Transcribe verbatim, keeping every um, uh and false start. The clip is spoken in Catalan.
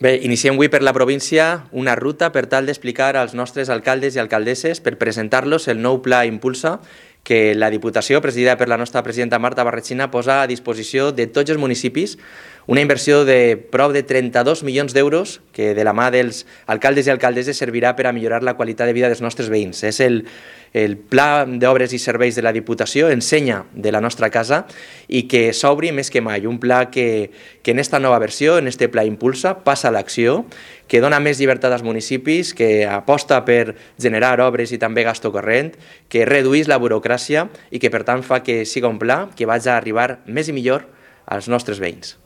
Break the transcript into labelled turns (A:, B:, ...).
A: Bé, iniciem avui per la província una ruta per tal d'explicar als nostres alcaldes i alcaldesses per presentar-los el nou Pla Impulsa que la Diputació, presidida per la nostra presidenta Marta Barretxina, posa a disposició de tots els municipis, una inversió de prop de trenta-dos milions d'euros que de la mà dels alcaldes i alcaldesses servirà per a millorar la qualitat de vida dels nostres veïns. És el, el Pla d'Obres i Serveis de la Diputació, ensenya de la nostra casa, i que s'obri més que mai. Un pla que, que en esta nova versió, en este Pla Impulsa, passa a l'acció, que dona més llibertat als municipis, que aposta per generar obres i també gasto corrent, que redueix la burocràcia i que per tant fa que siga un pla que vagi a arribar més i millor als nostres veïns.